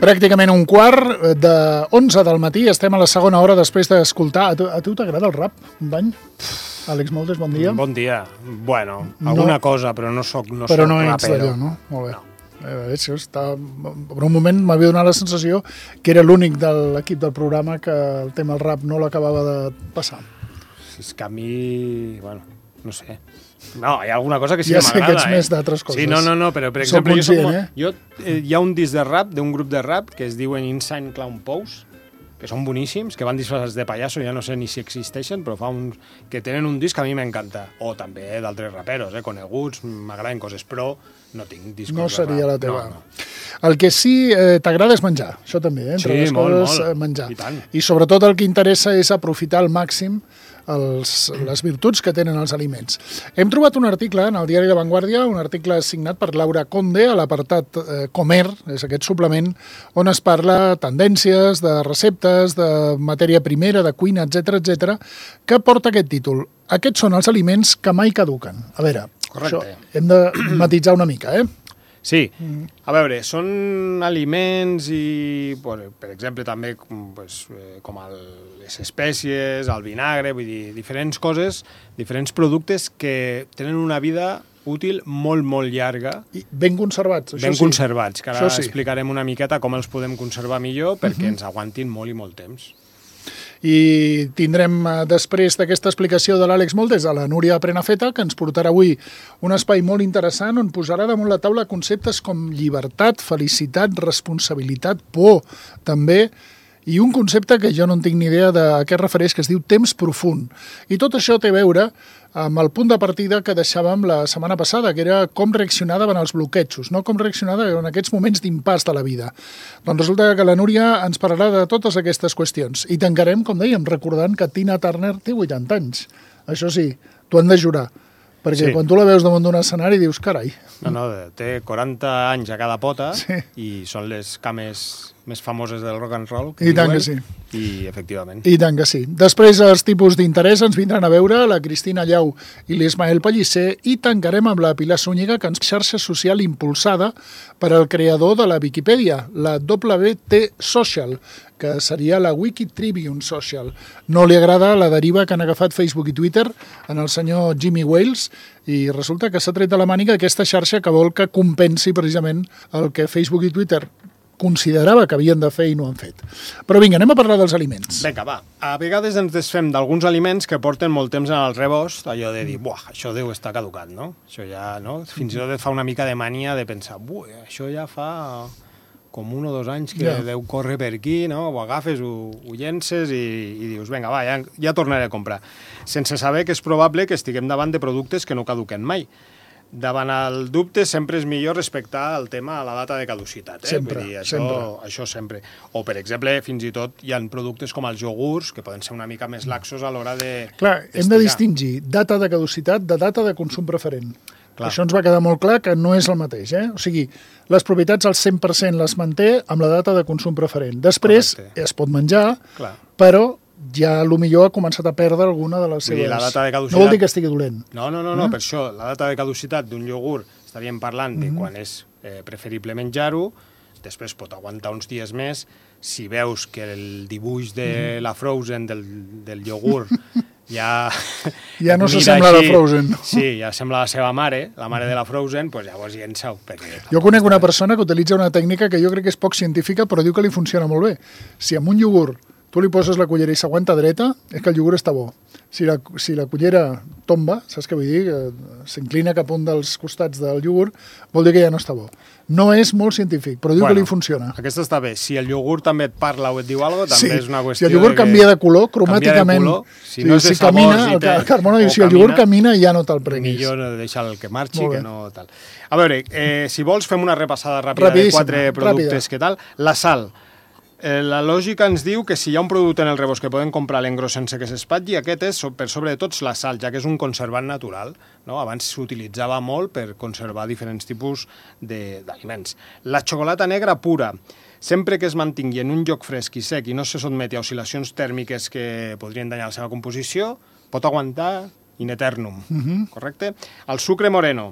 Pràcticament un quart de 11 del matí, estem a la segona hora després d'escoltar... A tu t'agrada el rap, company? Àlex Moldes, bon dia. Bon dia. Bueno, alguna cosa, però no soc rapero. Però no ets d'allò, no? Molt bé. No. Per un moment m'havia donat la sensació que era l'únic de l'equip del programa que el tema del rap no l'acabava de passar. És que a mi... Bueno, no sé. No, hi ha alguna cosa que sí que m'agrada. Ja sé que ets més d'altres coses. Sí, no, però per exemple... Hi ha un disc de rap d'un grup de rap que es diuen Insane Clown Pose, que són boníssims, que van disfressats de pallasso, ja no sé ni si existeixen, però que tenen un disc que a mi m'encanta. O també d'altres raperos, coneguts, m'agraden coses, però no tinc discos de rap. No seria la teva. No. El que sí t'agrada és menjar, això també, entre les coses, molt. menjar. I sobretot el que interessa és aprofitar al màxim les virtuts que tenen els aliments. Hem trobat un article en el diari La Vanguardia, un article signat per Laura Conde a l'apartat Comer, és aquest suplement on es parla tendències, de receptes, de matèria primera, de cuina, etc, que porta aquest títol. Aquests són els aliments que mai caduquen. A veure, això hem de matitzar una mica, Sí, a veure, són aliments i, per exemple, també com les espècies, el vinagre, vull dir, diferents coses, diferents productes que tenen una vida útil molt, molt llarga. I ben conservats, això sí. Ben conservats, que ara explicarem una miqueta com els podem conservar millor perquè ens aguantin molt i molt temps. I tindrem després d'aquesta explicació de l'Àlex Moldes a la Núria Prenafeta, que ens portarà avui un espai molt interessant on posarà damunt la taula conceptes com llibertat, felicitat, responsabilitat, por, també, i un concepte que jo no en tinc ni idea de a què es refereix, que es diu temps profund. I tot això té a veure amb el punt de partida que deixàvem la setmana passada, que era com reaccionar davant els bloquejos, no com reaccionar en aquests moments d'impàs de la vida. Doncs resulta que la Núria ens parlarà de totes aquestes qüestions. I tancarem, com dèiem, recordant que Tina Turner té 80 anys. Això sí, t'ho han de jurar. Perquè quan tu la veus damunt d'un escenari dius, carai. No, té 40 anys a cada pota i són les cames més famoses del rock and roll. I tant que sí. I efectivament. I tant que sí. Després els tipus d'interès ens vindran a veure la Cristina Llau i l'Ismael Pellicer i tancarem amb la Pilar Zúñiga, que ens xarxa social impulsada per al creador de la Viquipèdia, la WT Social, que seria la Wikitribune Social. No li agrada la deriva que han agafat Facebook i Twitter en el senyor Jimmy Wales i resulta que s'ha tret de la màniga aquesta xarxa que vol que compensi precisament el que Facebook i Twitter considerava que havien de fer i no han fet. Però vinga, anem a parlar dels aliments. Vinga, va. A vegades ens desfem d'alguns aliments que porten molt temps en el rebost, allò de dir, buah, això deu estar caducat, no? Això ja, no? Fins i tot et fa una mica de mania de pensar, buah, això ja fa com 1 o 2 anys que deu córrer per aquí, no? Ho agafes, ho llences i dius, vinga, va, ja tornaré a comprar. Sense saber que és probable que estiguem davant de productes que no caduquen mai. Davant el dubte sempre és millor respectar el tema a la data de caducitat. Sempre, vull dir, això sempre. O, per exemple, fins i tot hi ha productes com els iogurts que poden ser una mica més laxos a l'hora de... Clar, hem de distingir data de caducitat de data de consum preferent. Clar. Això ens va quedar molt clar que no és el mateix. O sigui, les propietats al 100% les manté amb la data de consum preferent. Després es pot menjar, però ja millor ha començat a perdre alguna de les seves... La data de caducitat... No vol dir que estigui dolent. No, per això, la data de caducitat d'un iogurt estaríem parlant de quan és preferible menjar-ho, després pot aguantar uns dies més, si veus que el dibuix de la Frozen del iogurt ja no s'assembla a la Frozen. Sí, ja sembla la seva mare, la mare de la Frozen, doncs llavors llença-ho. Jo conec una persona que utilitza una tècnica que jo crec que és poc científica, però diu que li funciona molt bé. Si amb un iogurt tu li poses la cullera i s'aguanta dreta, és que el iogurt està bo. Si la cullera tomba, saps què vull dir? S'inclina cap a un dels costats del iogurt, vol dir que ja no està bo. No és molt científic, però diu que li funciona. Aquesta està bé. Si el iogurt també et parla o et diu alguna cosa, també és una qüestió... Si el iogurt canvia de color, cromàticament... Si no és de sabors... El Carmona diu, si el iogurt camina, ja no te'l prenguis. Millor deixar el que marxi, que no tal. A veure, si vols, fem una repassada ràpida de 4 productes. Què tal? La sal. La lògica ens diu que si hi ha un producte en el rebost que podem comprar l'engros sense que s'espatlli, aquest és, per sobre de tots, la sal, ja que és un conservant natural. Abans s'utilitzava molt per conservar diferents tipus d'aliments. La xocolata negra pura, sempre que es mantingui en un lloc fresc i sec i no se sotmeti a oscil·lacions tèrmiques que podrien danyar la seva composició, pot aguantar in eternum, correcte? El sucre moreno.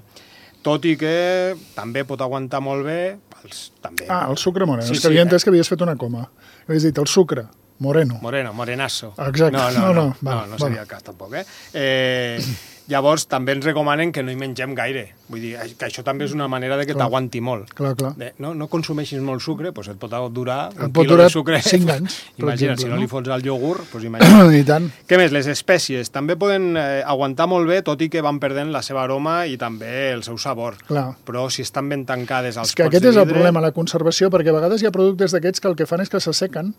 tot i que també pot aguantar molt bé també. El sucre moreno. És que havia entès que havies fet una coma. Havies dit el sucre moreno. Morenasso. Exacte. No seria el cas tampoc, Llavors, també ens recomanen que no hi mengem gaire. Vull dir, que això també és una manera de que t'aguanti molt. Clar. No consumeixis molt sucre, doncs et pot durar un quilo de sucre. 5 anys, Imagina't, si no li fots al iogurt, doncs imagina't. I tant. Què més? Les espècies també poden aguantar molt bé, tot i que van perdent la seva aroma i també el seu sabor. Clar. Però si estan ben tancades als pots de vidre... És que aquest és el problema, la conservació, perquè a vegades hi ha productes d'aquests que el que fan és que s'assequen,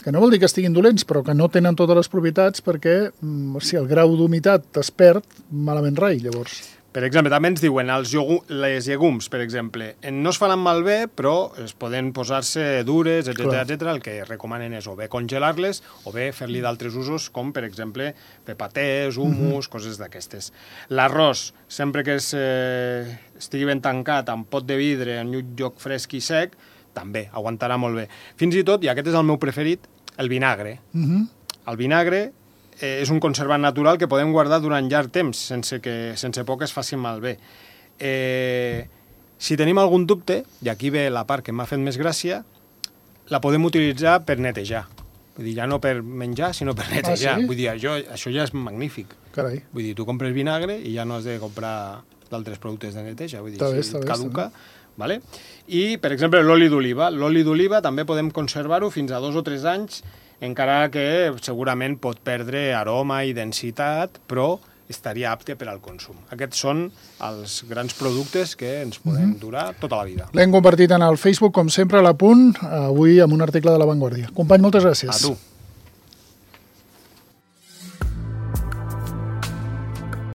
que no vol dir que estiguin dolents, però que no tenen totes les propietats perquè si el grau d'humitat es perd, malament rai, llavors. Per exemple, també ens diuen les llegums, per exemple, no es faran malbé, però es poden posar-se dures, etc. El que recomanen és o bé congelar-les o bé fer-li d'altres usos, com, per exemple, fer patès, hummus, coses d'aquestes. L'arròs, sempre que estigui ben tancat amb pot de vidre en un lloc fresc i sec, també aguantarà molt bé. Fins i tot, i aquest és el meu preferit, el vinagre. El vinagre és un conservant natural que podem guardar durant llarg temps, sense por que es faci malbé. Si tenim algun dubte, i aquí ve la part que m'ha fet més gràcia, la podem utilitzar per netejar. Vull dir, ja no per menjar, sinó per netejar. Vull dir, això ja és magnífic. Carai. Vull dir, tu compres vinagre i ja no has de comprar d'altres productes de neteja. Vull dir, si et caduca... Vale? I, per exemple, l'oli d'oliva. L'oli d'oliva també podem conservar-ho fins a 2 o 3 anys, encara que segurament pot perdre aroma i densitat, però estaria apte per al consum. Aquests són els grans productes que ens poden durar tota la vida. L'hem compartit en el Facebook, com sempre, a l'Apunt, avui amb un article de La Vanguardia. Company, moltes gràcies. A tu.